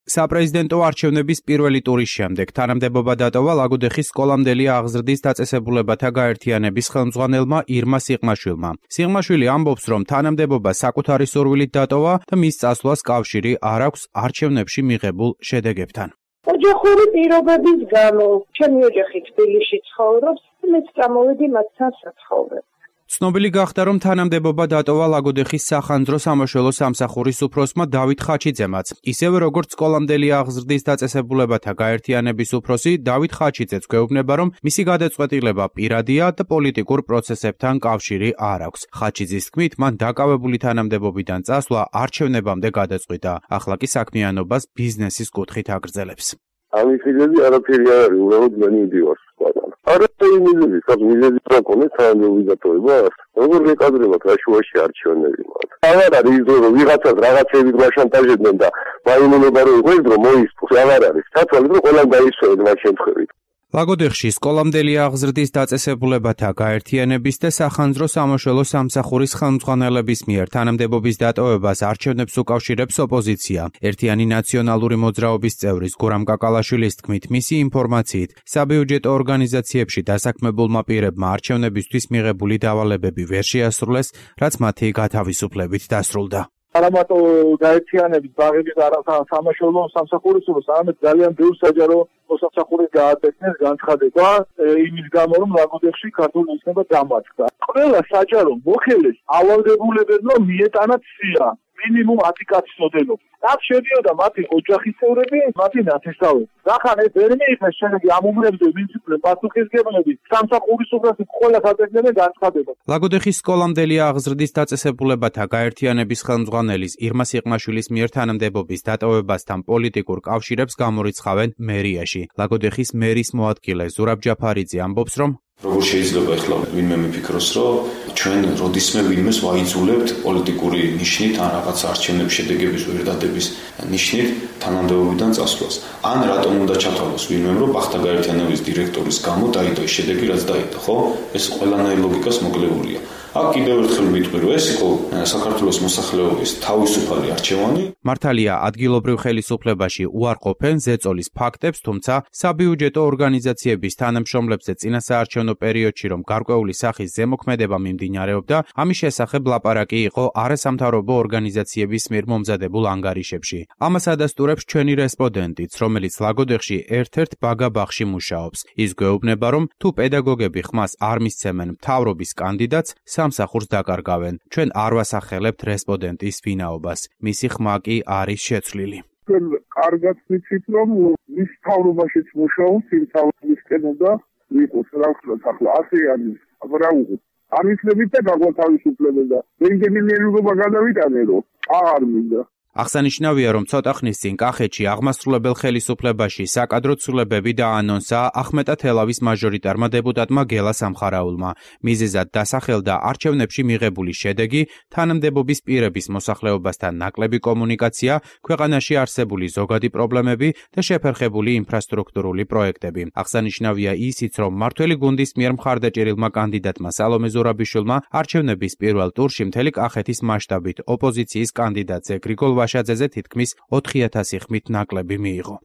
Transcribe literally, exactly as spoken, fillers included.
საპრეზიდენტო არჩევნების პირველი ტურის შემდეგ თანამდებობა დატოვა ლაგოდეხის სკოლამდელი აღზრდის დაწესებულებათა გაერთიანების ხელმძღვანელმა ირმა სიღმაშვილმა. სიღმაშვილი ამბობს, რომ თანამდებობა საკუთარი სურვილით დატოვა და მის წასვლას კავშირი არ აქვს არჩევნებში მიღებულ შედეგებთან. ოჯახური პირობების გამო ჩემი ოჯახი თბილისში ცხოვრობს, მეც წამოვედი მათთან საცხოვრებლად. ცნობილი გახდა, რომ თანამდებობა დატოვა ლაგოდეხის სახანძრო სამაშველო სამსახურის უფროსმა დავით ხაჩიძემაც. ისევე როგორც სკოლამდელი აღზრდის დაწესებულებათა გაერთიანების უფროსი დავით ხაჩიძეც გვეუბნება, რომ მისი გადაწყვეტილება პირადია და პოლიტიკურ პროცესებთან კავშირი არ აქვს. ხაჩიძის თქმით, მან დაკავებული თანამდებობიდან წასვლა არჩევნებამდე გადაწყვიტა. ახლა კი საქმიანობას ბიზნესის კუთხით აგრძელებს. ამის მიზეზი არაფერი არ არის, უბრალოდ მე მივდივარ სხვაგან. არაფერი მიზეზი, სად მიზეზი რა ქონდეს თანამდებობის დატოვება? როგორ მეკადრებათ რა შუაში არჩევნები მათ? აღარ არის ის რომ ვიღაცას რაღაცები გვაშანტაჟებდნენ და მაიმუნება რომ იყოს რომ მოისწროს, აღარ არის. სათვალით რომ ყველამ დაისვენეთ მათ შემთხვევით. ლაგოდეხში სკოლამდელი აღზრდის დაწესებულებათა გაერთიანების და სახანძრო სამაშველო სამსახურის ხელმძღვანელების მიერ თანამდებობის დატოვებას არჩევნებს უკავშირებს ოპოზიცია. ერთიანი ნაციონალური მოძრაობის წევრის გურამ კაკალაშვილის თქმით, მისი ინფორმაციით, საბიუჯეტო ორგანიზაციებში დასაქმებულმა პირებმა არჩევნებისთვის მიღებული დავალებები ვერ შეასრულეს, რაც მათი გათავისუფლებით დასრულდა. არამატო გაერთიანების ბაღების სამაშველო სამსახურის უბრალოდ არამედ ძალიან ბევრ საჯარო მოსამსახურის გააცეთეს განცხადება იმის გამო რომ ლაგოდეხში ქართული ოცნება დამარცხდა. ყველა საჯარო მოხელეს ავალდებულებებმა მიეტანათ სია მინიმუმ ათი კაცის ოდენობა. აქ შედიოდა მათი ოჯახის წევრები, მათი ნათესავები. რახან ეს ვერ მიიღეს შედეგი ამ უბრებზე ვინც იყვნენ პასუხისმგებლები, სამსახურის უფროსი ყველა საწესდნენ განცხადება. ლაგოდეხის სკოლამდელი აღზრდის დაწესებულებათა გაერთიანების ხელმძღვანელის ირმა სიღმაშვილის მიერ თანამდებობის დატოვებასთან პოლიტიკურ კავშირებს გამორიცხავენ მერიაში. ლაგოდეხის მერის მოადგილე ზურაბ ჯაფარიძე ამბობს, რომ როგორ შეიძლება ახლა ვინმე მიფიქროს, რომ ჩვენ როდისმე ვინმეს ვაიძულებთ პოლიტიკური ნიშნით ან რაღაც არჩევნების შედეგების ვერ დადების ნიშნით თანამდებობიდან წასვლას. ან რატომ უნდა ჩათვალოს ვინმე, რომ ბახთა გაერთიანების დირექტორის გამო დაიდო ეს შედეგი, რაც დაიდო, ხო? ეს ყველანაირი ლოგიკას მოკლებულია. აქ კიდევ ერთხელ ვიტყვი, რომ ეს იყო საქართველოს მოსახლეობის თავისუფალი არჩევანი. მართალია ადგილობრივ ხელისუფლებაში უარყოფენ ზეწოლის ფაქტებს, თუმცა საბიუჯეტო ორგანიზაციების თანამშრომლებზე წინასაარჩევნო პერიოდში რომ გარკვეული სახის ზემოქმედება მიმდინარეობდა, ამის შესახებ ლაპარაკი იყო არასამთავრობო ორგანიზაციების მიერ მომზადებულ ანგარიშებში. ამას ადასტურებს ჩვენი რესპონდენტიც, რომელიც ლაგოდეხში ერთ-ერთ ბაგაბაღში მუშაობს. ის გვეუბნება, რომ თუ პედაგოგები ხმას არ მისცემენ მთავრობის კანდიდატს, სამსახურს დაკარგავენ. ჩვენ არ ვასახელებთ რესპონდენტის ვინაობას. მისი ხმა კი არის შეცვლილი. ჩვენ კარგად ვიცით, რომ მის მთავრობაშიც მუშაობს, იმ თავისკენ და ვიყოს რა ვთქვათ ახლა ასე არის. აბა რა უღოთ. არ ვიცით და გაგვათავისუფლებენ და რენგენი მიერულობა გადავიტანე რომ აღარ მინდა. აღსანიშნავია, რომ ცოტა ხნის წინ კახეთში აღმასრულებელ ხელისუფლებაში საკადრო ცვლილებები დაანონსა ახმეტა თელავის მაჟორიტარმა დეპუტატმა გელა სამხარაულმა. მიზეზად დასახელდა არჩევნებში მიღებული შედეგი, თანამდებობის პირების მოსახლეობასთან ნაკლები კომუნიკაცია, ქვეყანაში არსებული ზოგადი პრობლემები და შეფერხებული ინფრასტრუქტურული პროექტები. აღსანიშნავია ისიც, რომ მმართველი გუნდის მიერ მხარდაჭერილმა კანდიდატმა სალომე ზურაბიშვილმა არჩევნების პირველ ტურში მთელი კახეთის მასშტაბით ოპოზიციის კანდიდატზე გრიგოლ ვაშაძეზე თითქმის ოთხი ათასი ხმით ნაკლები მიიღო.